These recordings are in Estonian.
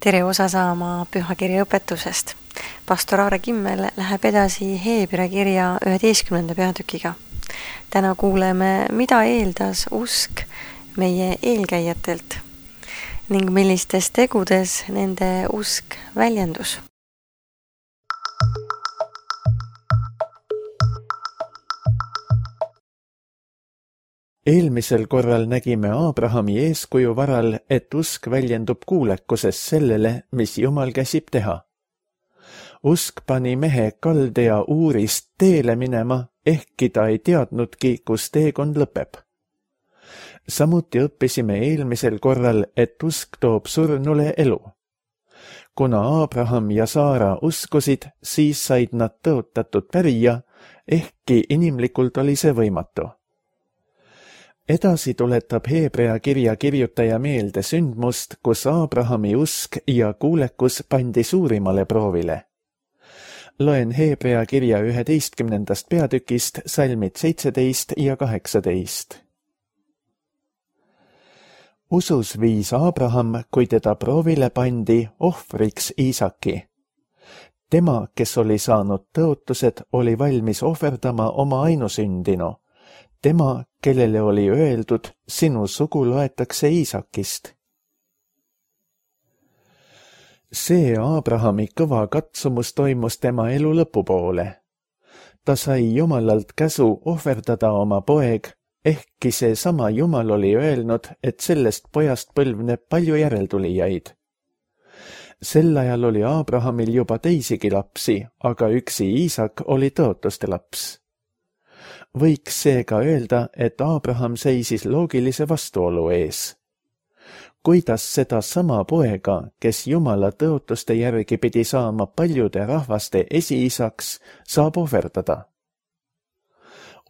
Tere osa saama pühakirja õpetusest. Pastor Aare Kimmel läheb edasi Heebrea kirja 11. peatükiga. Täna kuuleme, mida eeldas usk meie eelkäijatelt ning millistes tegudes nende usk väljendus. Eelmisel korral nägime Abrahami eeskuju varal, et usk väljendub kuulekuses sellele, mis Jumal käsib teha. Usk pani mehe Kaldea Uurist teele minema, ehkki ta ei teadnudki, kus teekond lõpeb. Samuti õppisime eelmisel korral, et usk toob surnule elu. Kuna Abraham ja Saara uskusid, siis said nad tõotatud pärija, ehkki inimlikult oli see võimatu. Edasi tuletab Heebrea kirja kirjutaja meelde sündmust, kus Abrahami usk ja kuulekus pandi suurimale proovile. Loen Heebrea kirja 11. peatükist salmid 17 ja 18. Usus viis Abraham, kui teda proovile pandi, ohvriks Iisaki. Tema, kes oli saanud tõotused, oli valmis ohverdama oma ainusündinu. Tema, kellele oli öeldud, sinu sugu loetakse Iisakist. See Abrahami kõva katsumus toimus tema elu lõpupoole. Ta sai Jumalalt käsu ohverdada oma poeg, ehkki see sama Jumal oli öelnud, et sellest pojast põlvneb palju järeltulijaid. Sel ajal oli Abrahamil juba teisigi lapsi, aga üksi Iisak oli tõotuste laps. Võiks seega öelda, et Abraham seisis loogilise vastuolu ees. Kuidas seda sama poega, kes Jumala tõotuste järgi pidi saama paljude rahvaste esiisaks, saab ohverdada?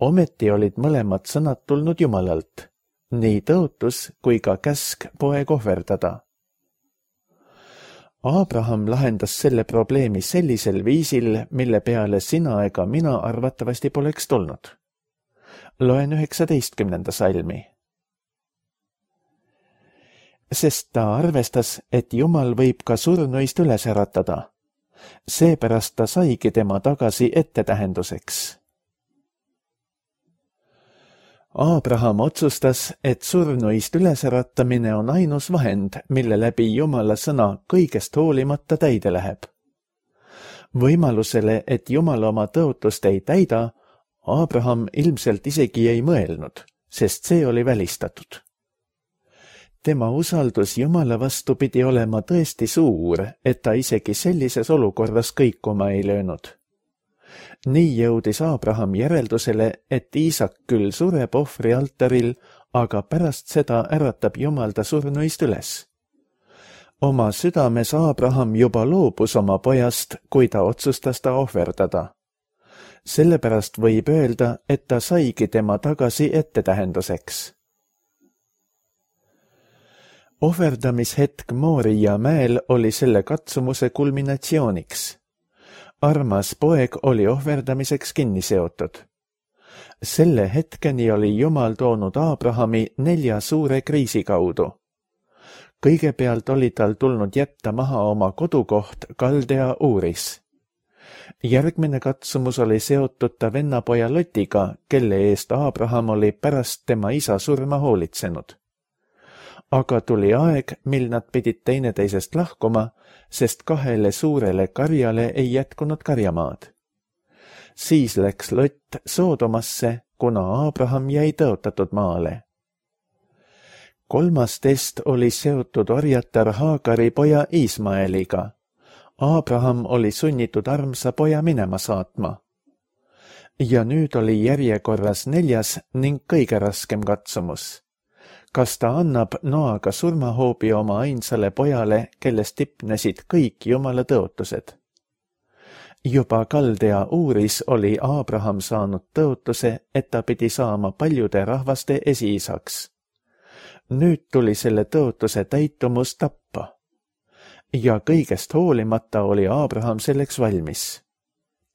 Ometi olid mõlemad sõnad tulnud Jumalalt, nii tõotus kui ka käsk poeg ohverdada. Abraham lahendas selle probleemi sellisel viisil, mille peale sina ega mina arvatavasti poleks tulnud. Loen 19. salmi. Sest ta arvestas, et Jumal võib ka surnuist üles äratada. Seepärast ta saigi tema tagasi ettetähenduseks. Abraham otsustas, et surnuist ülesäratamine on ainus vahend, mille läbi Jumala sõna kõigest hoolimata täide läheb. Võimalusele, et Jumal oma tõotust ei täida, Abraham ilmselt isegi ei mõelnud, sest see oli välistatud. Tema usaldus Jumala vastu pidi olema tõesti suur, et ta isegi sellises olukorras kõikuma ei löönud. Nii jõudis Abraham järeldusele, et Iisak küll sureb ohvri altaril, aga pärast seda äratab Jumal ta surnuist üles. Oma südames Abraham juba loobus oma pojast, kui ta otsustas ta ohverdada. Sellepärast võib öelda, et ta saigi tema tagasi ettetähenduseks. Ohverdamishetk Mooria mäel oli selle katsumuse kulminatsiooniks. Armas poeg oli ohverdamiseks kinni seotud. Selle hetkeni oli Jumal toonud Abrahami 4 suure kriisi kaudu. Kõigepealt oli tal tulnud jätta maha oma kodukoht Kaldea Uuris. Järgmine katsumus oli seotud ta vennapoja Lotiga, kelle eest Abraham oli pärast tema isa surma hoolitsenud. Aga tuli aeg, mil nad pidid teineteisest lahkuma, sest 2 suurele karjale ei jätkunud karjamaad. Siis läks Lot Soodomasse, kuna Abraham jäi tõotatud maale. 3. test oli seotud orjatar Haagari poja Iismaeliga. Abraham oli sunnitud armsa poja minema saatma. Ja nüüd oli järjekorras 4. ning kõige raskem katsumus. Kas ta annab noaga surmahoobi oma ainsale pojale, kellest tipnesid kõik Jumala tõotused? Juba Kaldea Uuris oli Abraham saanud tõotuse, et ta pidi saama paljude rahvaste esiisaks. Nüüd tuli selle tõotuse täitumus tappa. Ja kõigest hoolimata oli Abraham selleks valmis.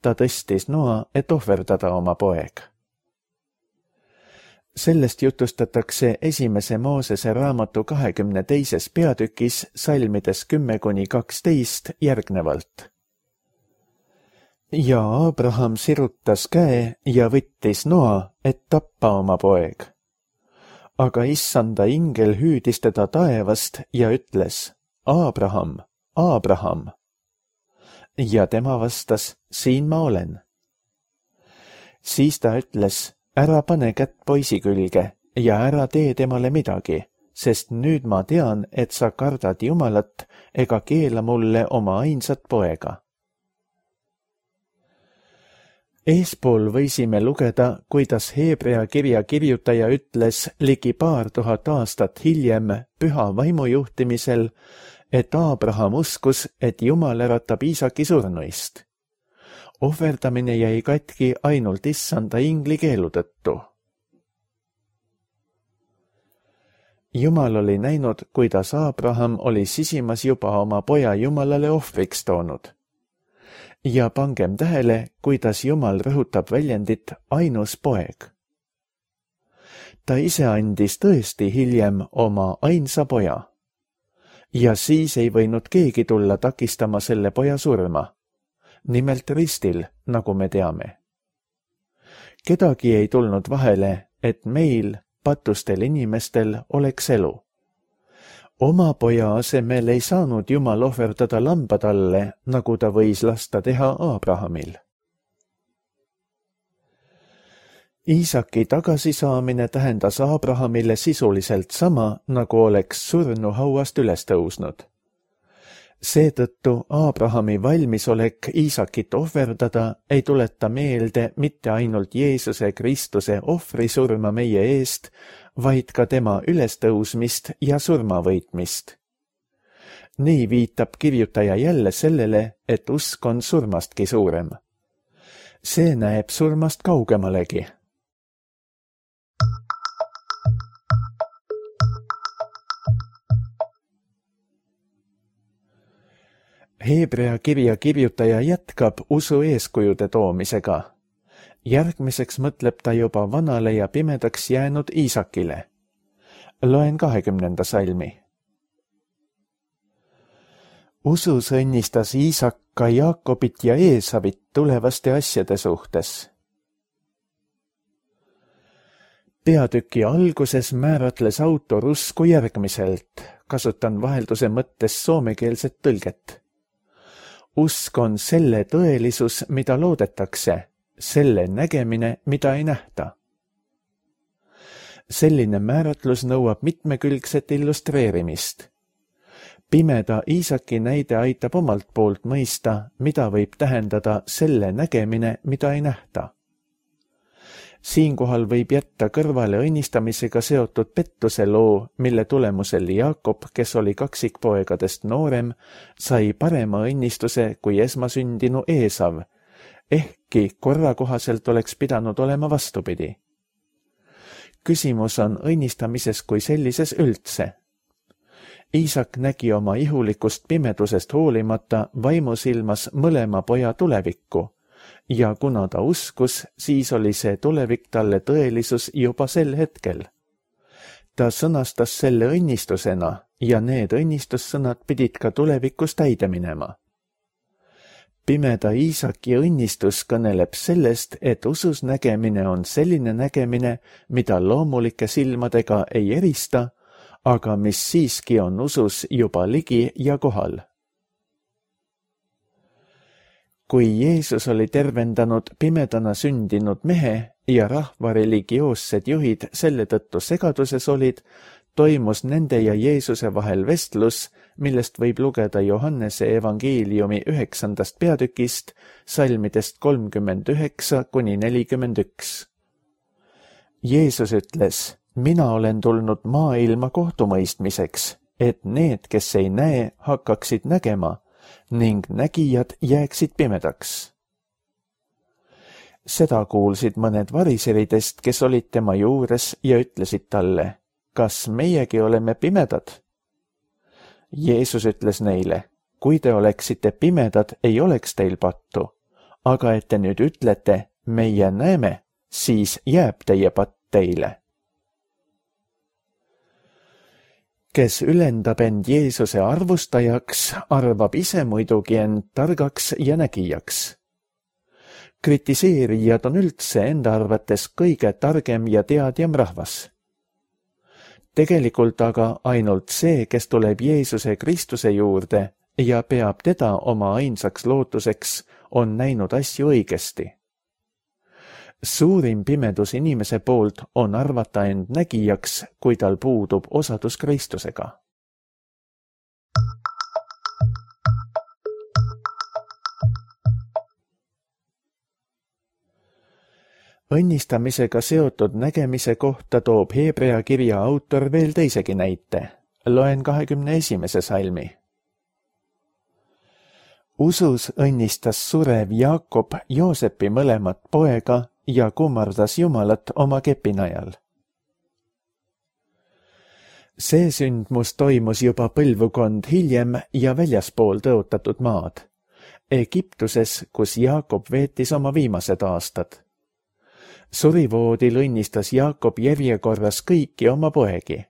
Ta tõstis noa, et ohverdada oma poeg. Sellest jutustatakse esimese Moosese raamatu 22. peatükis salmides 10–12 järgnevalt. Ja Abraham sirutas käe ja võttis noa, et tappa oma poeg. Aga issanda ingel hüüdis teda taevast ja ütles, Abraham, Abraham. Ja tema vastas, siin ma olen. Siis ta ütles, ära pane kätt poisi külge ja ära tee temale midagi, sest nüüd ma tean, et sa kardad Jumalat ega keela mulle oma ainsat poega. Eespool võisime lugeda, kuidas Heebrea kirja kirjutaja ütles ligi 2000 aastat hiljem püha vaimu juhtimisel, et Abraham uskus, et Jumal äratab Iisaki surnuist. Ohverdamine jäi katki ainult issanda ingli keelu tõttu. Jumal oli näinud, kuidas Abraham oli sisimas juba oma poja Jumalale ohvriks toonud. Ja pangem tähele, kuidas Jumal rõhutab väljendit ainus poeg. Ta ise andis tõesti hiljem oma ainsa poja. Ja siis ei võinud keegi tulla takistama selle poja surma. Nimelt ristil, nagu me teame. Kedagi ei tulnud vahele, et meil, patustel inimestel, oleks elu. Oma poja asemel ei saanud Jumal ohverdada lamba talle, nagu ta võis lasta teha Abrahamil. Iisaki tagasisaamine tähendas Abrahamile sisuliselt sama, nagu oleks surnu hauast üles tõusnud. Seetõttu Abrahami valmisolek Iisakit ohverdada ei tuleta meelde mitte ainult Jeesuse Kristuse ohvrisurma meie eest, vaid ka tema ülestõusmist ja surmavõitmist. Nii viitab kirjutaja jälle sellele, et usk on surmastki suurem. See näeb surmast kaugemalegi. Heebrea kirja kirjutaja jätkab usu eeskujude toomisega. Järgmiseks mõtleb ta juba vanale ja pimedaks jäänud Iisakile. Loen 20. salmi. Usus õnnistas Iisak ka Jaakobit ja Eesavit tulevaste asjade suhtes. Peatüki alguses määratles autor usku järgmiselt, kasutan vahelduse mõttes soomekeelset tõlget. Usk on selle tõelisus, mida loodetakse, selle nägemine, mida ei nähta. Selline määratlus nõuab mitmekülgset illustreerimist. Pimeda Iisaki näide aitab omalt poolt mõista, mida võib tähendada selle nägemine, mida ei nähta. Siinkohal võib jätta kõrvale õnnistamisega seotud pettuse loo, mille tulemusel Jaakob, kes oli kaksikpoegadest noorem, sai parema õnnistuse kui esmasündinu Eesav, ehkki korra kohaselt oleks pidanud olema vastupidi. Küsimus on õnnistamises kui sellises üldse. Iisak nägi oma ihulikust pimedusest hoolimata vaimusilmas mõlema poja tulevikku, ja kuna ta uskus, siis oli see tulevik talle tõelisus juba sel hetkel. Ta sõnastas selle õnnistusena ja need õnnistussõnad pidid ka tulevikus täide minema. Pimeda Iisaki õnnistus kõneleb sellest, et usus nägemine on selline nägemine, mida loomulike silmadega ei erista, aga mis siiski on usus juba ligi ja kohal. Kui Jeesus oli tervendanud pimedana sündinud mehe ja rahva religioossed juhid selle tõttu segaduses olid, toimus nende ja Jeesuse vahel vestlus, millest võib lugeda Johannese evangeeliumi 9. peatükist, salmidest 39–41. Jeesus ütles, mina olen tulnud maailma kohtumõistmiseks, et need, kes ei näe, hakkaksid nägema, ning nägijad jääksid pimedaks. Seda kuulsid mõned variseridest, kes olid tema juures ja ütlesid talle, kas meiegi oleme pimedad? Jeesus ütles neile, kui te oleksite pimedad, ei oleks teil pattu, aga et te nüüd ütlete, meie näeme, siis jääb teie patt teile. kes ülendab end Jeesuse arvustajaks, arvab ise muidugi end targaks ja nägijaks. Kritiseerijad on üldse enda arvates kõige targem ja teadjam rahvas. Tegelikult aga ainult see, kes tuleb Jeesuse Kristuse juurde ja peab teda oma ainsaks lootuseks, on näinud asju õigesti. Suurim pimedus inimese poolt on arvata end nägijaks, kui tal puudub osadus Kristusega. Õnnistamisega seotud nägemise kohta toob Hebrea kirja autor veel teisegi näite. Loen 21. salmi. Usus õnnistas surev Jaakob Joosepi mõlemat poega ja kummardas Jumalat oma kepinajal. See sündmus toimus juba põlvkond hiljem ja väljaspool tõotatud maad, Egiptuses, kus Jaakob veetis oma viimased aastad. Surivoodil õnnistas Jaakob järjekorras kõiki oma poegi.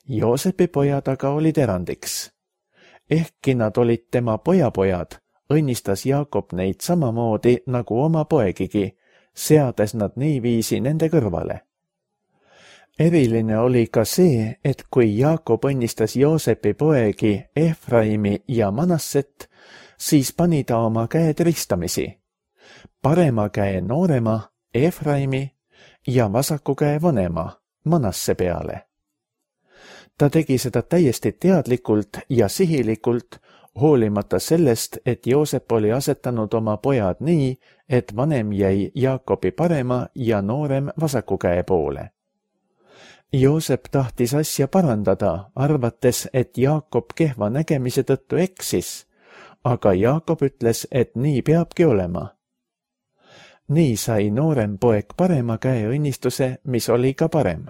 Joosepi pojad aga olid erandiks. Ehkki nad olid tema pojapojad, õnnistas Jaakob neid samamoodi nagu oma poegigi, seades nad niiviisi nende kõrvale. Eriline oli ka see, et kui Jaakob õnnistas Joosepi poegi Efraimi ja Manasset, siis pani ta oma käed ristamisi. Parema käe noorema Efraimi ja vasaku käe vanema Manasse peale. Ta tegi seda täiesti teadlikult ja sihilikult, hoolimata sellest, et Joosep oli asetanud oma pojad nii, et vanem jäi Jaakobi parema ja noorem vasaku käe poole. Joosep tahtis asja parandada, arvates, et Jaakob kehva nägemise tõttu eksis, aga Jaakob ütles, et nii peabki olema. Nii sai noorem poeg parema käe õnnistuse, mis oli ka parem.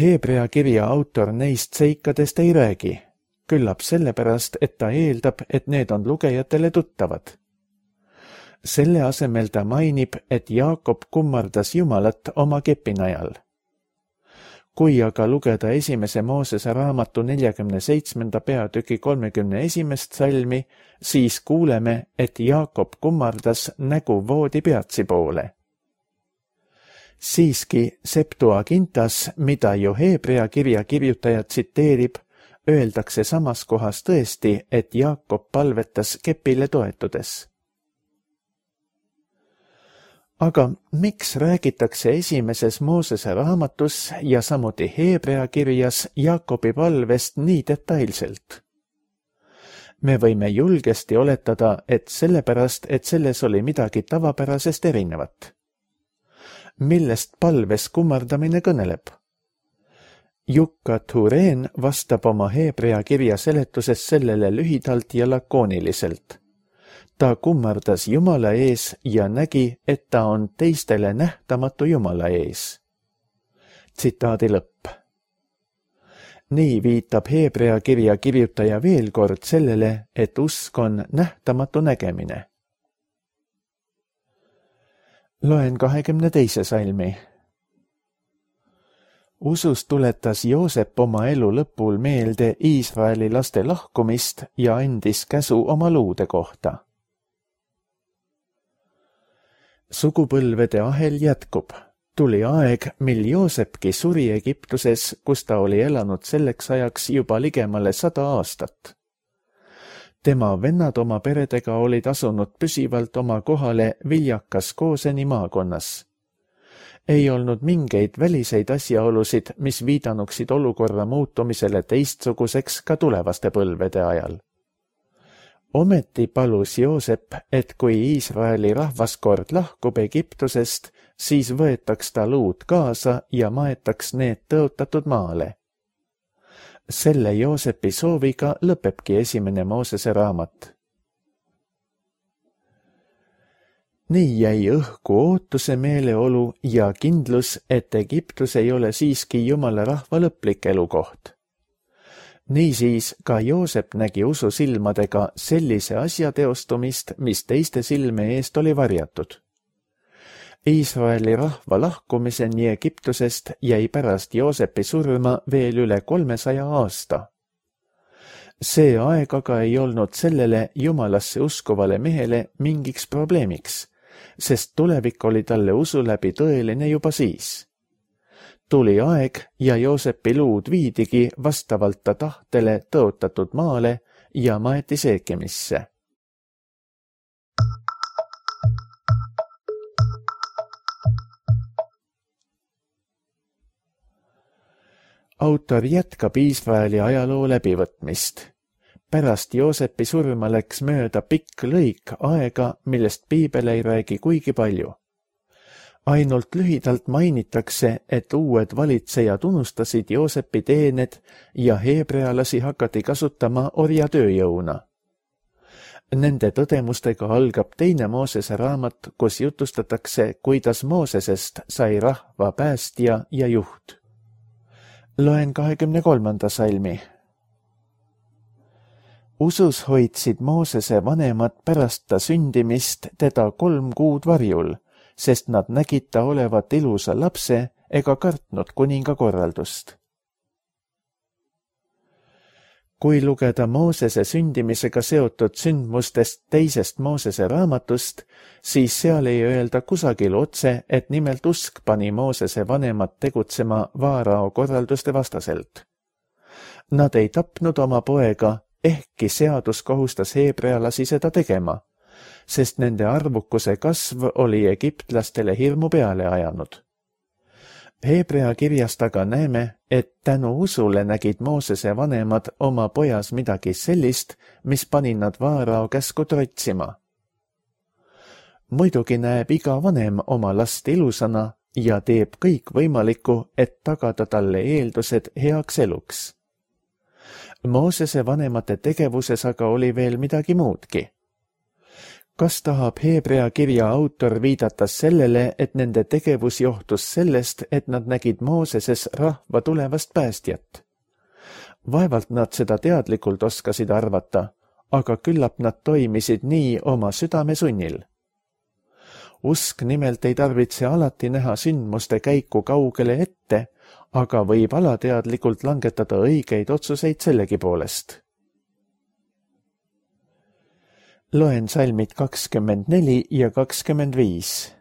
Hebrea kirja autor neist seikadest ei räägi, küllap sellepärast, et ta eeldab, et need on lugejatele tuttavad. Selle asemel ta mainib, et Jaakob kummardas Jumalat oma kepinajal. Kui aga lugeda 1. Moosese raamatu 47. peatüki 31. salmi, siis kuuleme, et Jaakob kummardas nägu voodi peatsi poole. Siiski Septuagintas, mida ju Hebrea kirja kirjutaja tsiteerib, öeldakse samas kohas tõesti, et Jaakob palvetas kepile toetudes. Aga miks räägitakse 1. Moosese raamatus ja samuti Hebrea kirjas Jaakobi palvest nii detailselt? Me võime julgesti oletada, et sellepärast, et selles oli midagi tavapärasest erinevat. Millest palves kummardamine kõneleb? Jukka Tureen vastab oma Hebrea kirja seletuses sellele lühidalt ja lakooniliselt. Ta kummardas Jumala ees ja nägi, et ta on teistele nähtamatu Jumala ees. Tsitaadi lõpp. Nii viitab Hebrea kirja kirjutaja veel kord sellele, et usk on nähtamatu nägemine. Loen 22. salmi. Usus tuletas Joosep oma elu lõpul meelde Iisraeli laste lahkumist ja andis käsu oma luude kohta. Sugupõlvede ahel jätkub. Tuli aeg, mil Joosepki suri Egiptuses, kus ta oli elanud selleks ajaks juba ligemale 100 aastat. Tema vennad oma peredega olid asunud püsivalt oma kohale viljakas Gooseni maakonnas. Ei olnud mingeid väliseid asjaolusid, mis viidanuksid olukorra muutumisele teistsuguseks ka tulevaste põlvede ajal. Ometi palus Joosep, et kui Iisraeli rahvaskord lahkub Egiptusest, siis võetaks ta luud kaasa ja maetaks need tõotatud maale. Selle Joosepi sooviga lõpebki 1. Moosese raamat. Nii jäi õhku ootuse meeleolu ja kindlus, et Egiptus ei ole siiski Jumala rahva lõplik elukoht. Niisiis ka Joosep nägi usu silmadega sellise asja teostumist, mis teiste silme eest oli varjatud. Iisraeli rahva lahkumiseni Egiptusest jäi pärast Joosepi surma veel üle 300 aasta. See aeg aga ei olnud sellele jumalasse uskuvale mehele mingiks probleemiks, sest tulevik oli talle usu läbi tõeline juba siis. Tuli aeg ja Joosepi luud viidigi vastavalt ta tahtele tõotatud maale ja maeti Seekemisse. Autor jätkab Iisraeli ajaloo läbivõtmist. Pärast Joosepi surma läks mööda pikk lõik aega, millest piibel ei räägi kuigi palju. Ainult lühidalt mainitakse, et uued valitsejad unustasid Joosepi teened ja heebrealasi hakati kasutama orjatööjõuna. Nende tõdemustega algab 2. Moosese raamat, kus jutustatakse, kuidas Moosesest sai rahva päästja ja juht. Loen 23. salmi. Usus hoidsid Moosese vanemad pärast ta sündimist teda 3 kuud varjul, sest nad nägid ta olevat ilusa lapse ega kartnud kuninga korraldust. Kui lugeda Moosese sündimisega seotud sündmustest 2. Moosese raamatust, siis seal ei öelda kusagil otse, et nimelt usk pani Moosese vanemad tegutsema Vaarao korralduste vastaselt. Nad ei tapnud oma poega, ehkki seadus kohustas heebrealasi seda tegema, sest nende arvukuse kasv oli egiptlastele hirmu peale ajanud. Heebrea kirjast aga näeme, et tänu usule nägid Moosese vanemad oma pojas midagi sellist, mis pani nad Vaarao käsku trotsima. Muidugi näeb iga vanem oma last ilusana ja teeb kõik võimalikku, et tagada talle eeldused heaks eluks. Moosese vanemate tegevuses aga oli veel midagi muudki. Kas tahab Heebrea kirja autor viidata sellele, et nende tegevus johtus sellest, et nad nägid Mooseses rahva tulevast päästjat? Vaevalt nad seda teadlikult oskasid arvata, aga küllap nad toimisid nii oma südame sunnil. Usk nimelt ei tarvitse alati näha sündmuste käiku kaugele ette, aga võib alateadlikult langetada õigeid otsuseid sellegipoolest. Loen salmid 24 ja 25.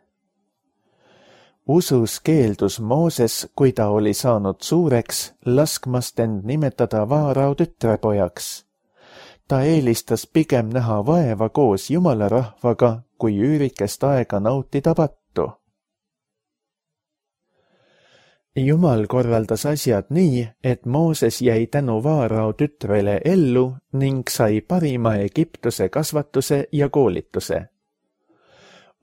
Usus keeldus Mooses, kui ta oli saanud suureks, laskmast end nimetada Vaarao tütrepojaks. Ta eelistas pigem näha vaeva koos Jumala rahvaga, kui üürikest aega nautida pattu. Jumal korraldas asjad nii, et Mooses jäi tänu Vaarao tütrele ellu ning sai parima Egiptuse kasvatuse ja koolituse.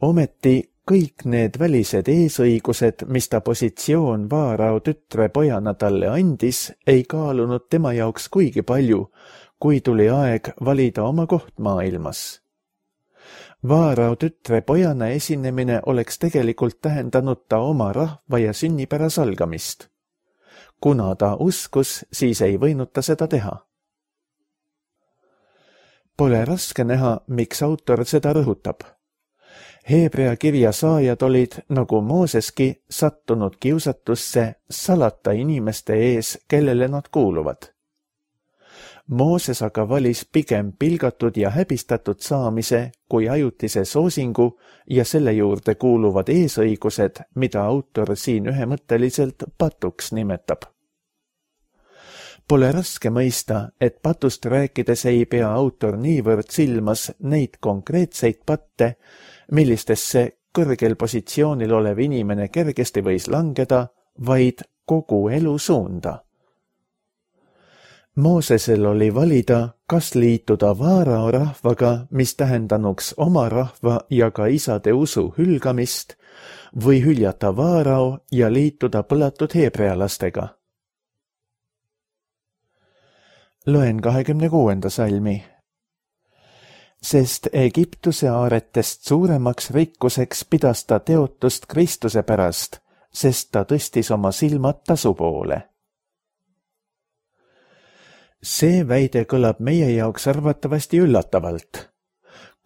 Ometi kõik need välised eesõigused, mis ta positsioon Vaarao tütre pojana talle andis, ei kaalunud tema jaoks kuigi palju, kui tuli aeg valida oma koht maailmas. Vaarao tütre pojana esinemine oleks tegelikult tähendanud ta oma rahva ja sünnipära salgamist. Kuna ta uskus, siis ei võinud ta seda teha. Pole raske näha, miks autor seda rõhutab. Heebrea kirja saajad olid, nagu Mooseski, sattunud kiusatusse salata inimeste ees, kellele nad kuuluvad. Mooses aga valis pigem pilgatud ja häbistatud saamise kui ajutise soosingu ja selle juurde kuuluvad eesõigused, mida autor siin ühemõtteliselt patuks nimetab. Pole raske mõista, et patust rääkides ei pea autor niivõrd silmas neid konkreetseid patte, millistesse kõrgel positsioonil olev inimene kergesti võis langeda, vaid kogu elu suunda. Moosesel oli valida, kas liituda Vaarao rahvaga, mis tähendanuks oma rahva ja ka isade usu hülgamist, või hüljata Vaarao ja liituda põlatud heebrealastega. Loen 26. salmi. Sest Egiptuse aaretest suuremaks rikkuseks pidas ta teotust Kristuse pärast, sest ta tõstis oma silmad tasu poole. See väide kõlab meie jaoks arvatavasti üllatavalt.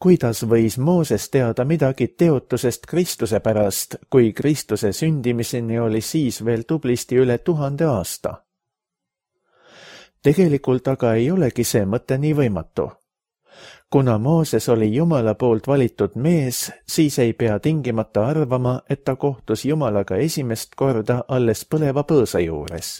kuidas võis Mooses teada midagi teotusest Kristuse pärast, kui Kristuse sündimiseni oli siis veel tublisti üle 1000 aasta? Tegelikult aga ei olegi see mõte nii võimatu. Kuna Mooses oli Jumala poolt valitud mees, siis ei pea tingimata arvama, et ta kohtus Jumalaga esimest korda alles põleva põõsa juures.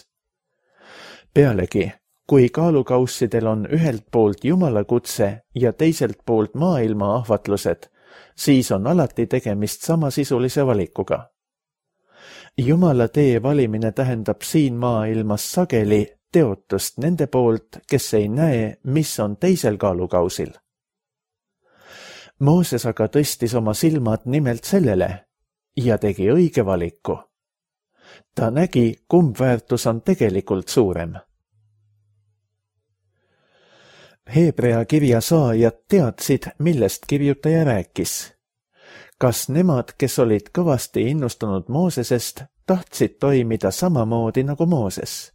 Pealegi, kui kaalukaussidel on ühelt poolt Jumala kutse ja teiselt poolt maailma ahvatlused, siis on alati tegemist samasisulise valikuga. Jumala tee valimine tähendab siin maailmas sageli teotust nende poolt, kes ei näe, mis on teisel kaalukausil. Mooses aga tõstis oma silmad nimelt sellele ja tegi õige valiku. Ta nägi, kumb väärtus on tegelikult suurem. Heebrea kirja saajad teadsid, millest kirjutaja rääkis. Kas nemad, kes olid kõvasti innustunud Moosesest, tahtsid toimida samamoodi nagu Mooses?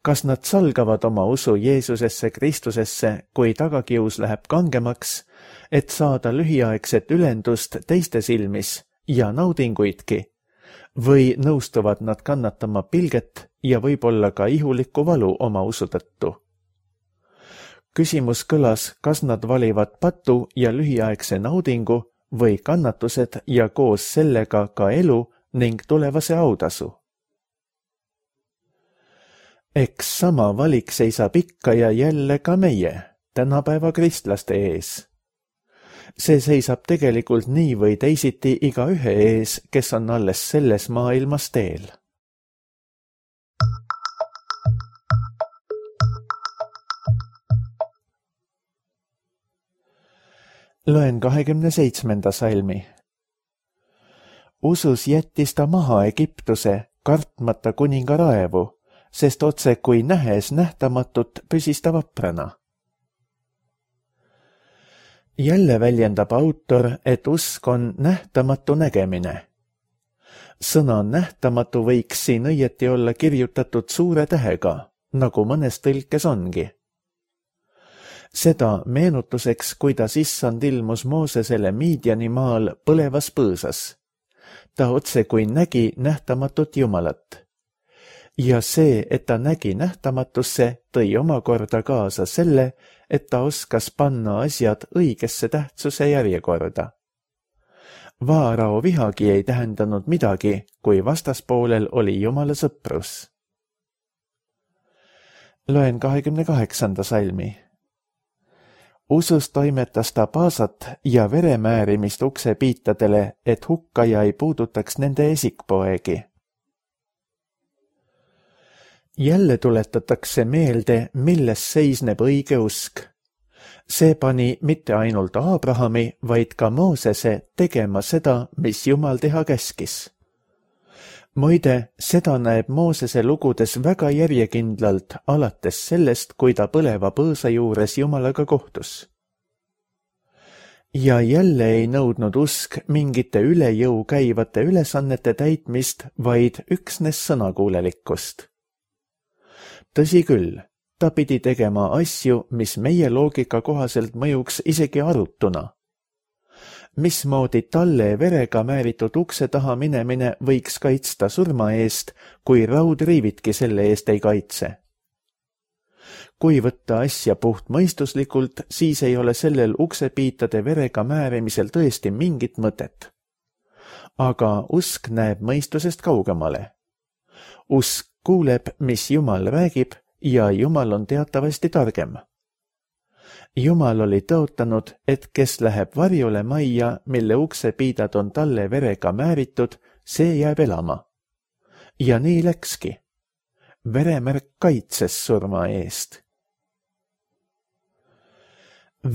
Kas nad salgavad oma usu Jeesusesse Kristusesse, kui tagakius läheb kangemaks, et saada lühiaegset ülendust teiste silmis ja naudinguidki, või nõustuvad nad kannatama pilget ja võib-olla ka ihulikku valu oma usu tõttu? Küsimus kõlas, kas nad valivad patu ja lühiaegse naudingu või kannatused ja koos sellega ka elu ning tulevase autasu. Eks sama valik seisab ikka ja jälle ka meie, tänapäeva kristlaste ees. See seisab tegelikult nii või teisiti igaühe ees, kes on alles selles maailmas teel. Loen 27. salmi. Usus jättis ta maha Egiptuse, kartmata kuninga raevu, sest otse kui nähes nähtamatut püsis ta vaprana. Jälle väljendab autor, et usk on nähtamatu nägemine. Sõna nähtamatu võiks siin õieti olla kirjutatud suure tähega, nagu mõnes tõlkes ongi. Seda meenutuseks, kuidas issand ilmus Moosesele Midiani maal põlevas põõsas. Ta otse kui nägi nähtamatut Jumalat. Ja see, et ta nägi nähtamatusse, tõi omakorda kaasa selle, et ta oskas panna asjad õigesse tähtsuse järjekorda. Vaarao vihagi ei tähendanud midagi, kui vastaspoolel oli Jumala sõprus. Loen 28. salmi. Usus toimetas ta paasat ja veremäärimist uksepiitadele, et hukkaja ei puudutaks nende esikpoegi. Jälle tuletatakse meelde, milles seisneb õige usk. See pani mitte ainult Abrahami, vaid ka Moosese tegema seda, mis Jumal teha käskis. Muide, seda näeb Moosese lugudes väga järjekindlalt, alates sellest, kui ta põleva põõsa juures Jumalaga kohtus. Ja jälle ei nõudnud usk mingite üle jõu käivate ülesannete täitmist, vaid üksnes sõnakuulelikkust. Tõsi küll, ta pidi tegema asju, mis meie loogika kohaselt mõjuks isegi arutuna. Mismoodi talle verega määritud ukse taha minemine võiks kaitsta surma eest, kui raudriivitki selle eest ei kaitse? Kui võtta asja puhtmõistuslikult, siis ei ole sellel uksepiitade verega määrimisel tõesti mingit mõtet. Aga usk näeb mõistusest kaugemale. Usk kuuleb, mis Jumal räägib, ja Jumal on teatavasti targem. Jumal oli tõotanud, et kes läheb varjule majja, mille uksepiidad on talle verega määritud, see jääb elama. Ja nii läkski. Veremärk kaitses surma eest.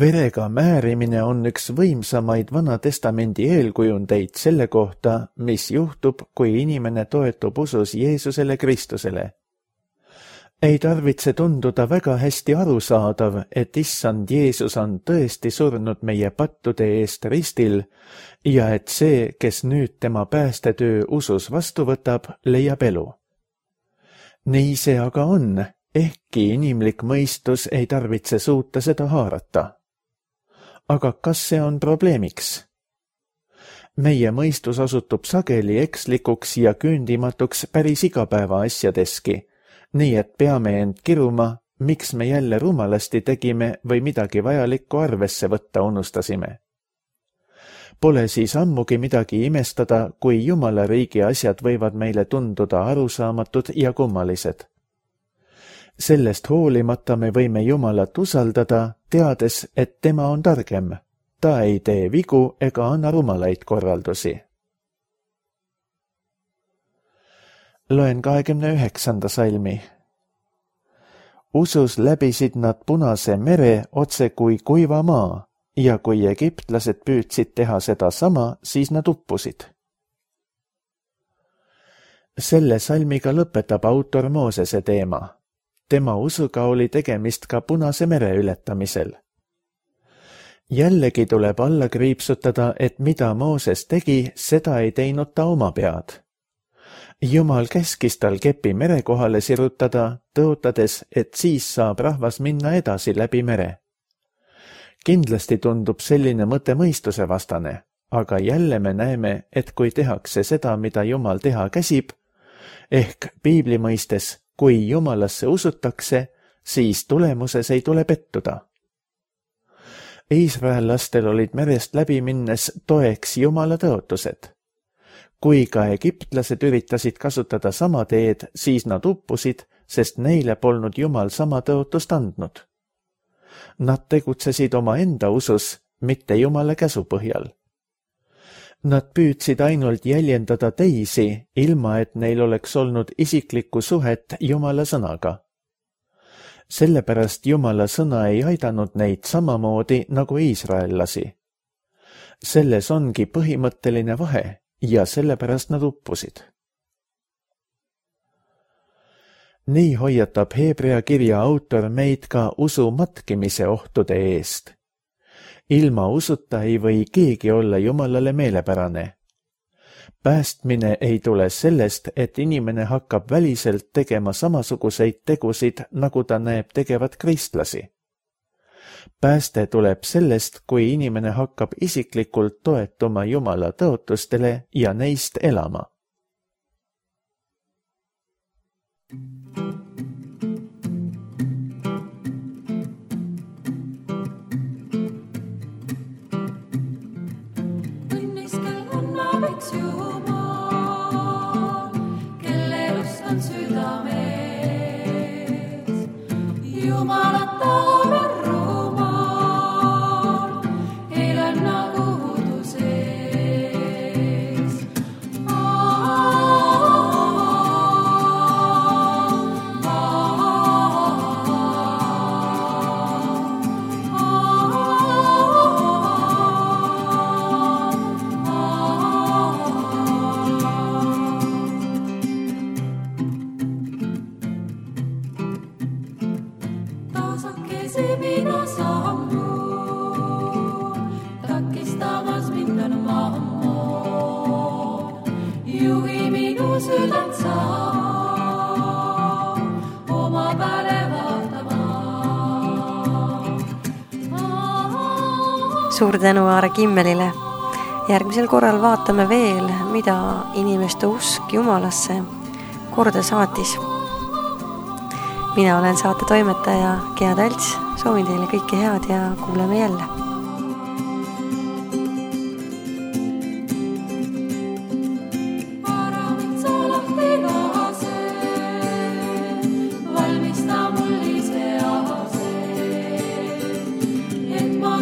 Verega määrimine on üks võimsamaid Vana Testamendi eelkujundeid selle kohta, mis juhtub, kui inimene toetub usus Jeesusele Kristusele. Ei tarvitse tunduda väga hästi arusaadav, et issand Jeesus on tõesti surnud meie pattude eest ristil ja et see, kes nüüd tema päästetöö usus vastu võtab, leiab elu. Nii see aga on, ehkki inimlik mõistus ei tarvitse suuta seda haarata. Aga kas see on probleemiks? Meie mõistus osutub sageli ekslikuks ja küündimatuks päris igapäeva asjadeski, nii et peame end kiruma, miks me jälle rumalasti tegime või midagi vajalikku arvesse võtta unustasime. Pole siis ammugi midagi imestada, kui Jumala riigi asjad võivad meile tunduda arusaamatud ja kummalised. Sellest hoolimata me võime Jumalat usaldada, teades, et tema on targem. Ta ei tee vigu ega anna rumalaid korraldusi. Loen 29. salmi. Usus läbisid nad Punase mere otse kui kuiva maa ja kui egiptlased püüdsid teha seda sama, siis nad uppusid. Selle salmiga lõpetab autor Moosese teema. Tema usuga oli tegemist ka Punase mere ületamisel. Jällegi tuleb alla kriipsutada, et mida Mooses tegi, seda ei teinud ta oma pead. Jumal käskis tal kepi mere kohale sirutada, tõotades, et siis saab rahvas minna edasi läbi mere. Kindlasti tundub selline mõte mõistuse vastane, aga jälle me näeme, et kui tehakse seda, mida Jumal teha käsib, ehk piibli mõistes, kui Jumalasse usutakse, siis tulemuses ei tule pettuda. Iisraellastel olid merest läbi minnes toeks Jumala tõotused. Kui ka egiptlased üritasid kasutada sama teed, siis nad uppusid, sest neile polnud Jumal sama tõotust andnud. Nad tegutsesid oma enda usus, mitte Jumala käsu põhjal. Nad püüdsid ainult jäljendada teisi, ilma et neil oleks olnud isiklikku suhet Jumala sõnaga. Sellepärast Jumala sõna ei aidanud neid samamoodi nagu iisraellasi. Selles ongi põhimõtteline vahe ja sellepärast nad uppusid. Nii hoiatab Hebrea kirja autor meid ka usu matkimise ohtude eest. Ilma usuta ei või keegi olla Jumalale meelepärane. Päästmine ei tule sellest, et inimene hakkab väliselt tegema samasuguseid tegusid, nagu ta näeb tegevat kristlasi. Pääste tuleb sellest, kui inimene hakkab isiklikult toetuma Jumala tõotustele ja neist elama. Suur tänu Aare Kimmelile. Järgmisel korral vaatame veel, mida inimeste usk Jumalasse korda saatis. Mina olen saate toimetaja Gea Talts. Soovin teile kõike head ja kuuleme jälle. Valmista mul ise ase, et ma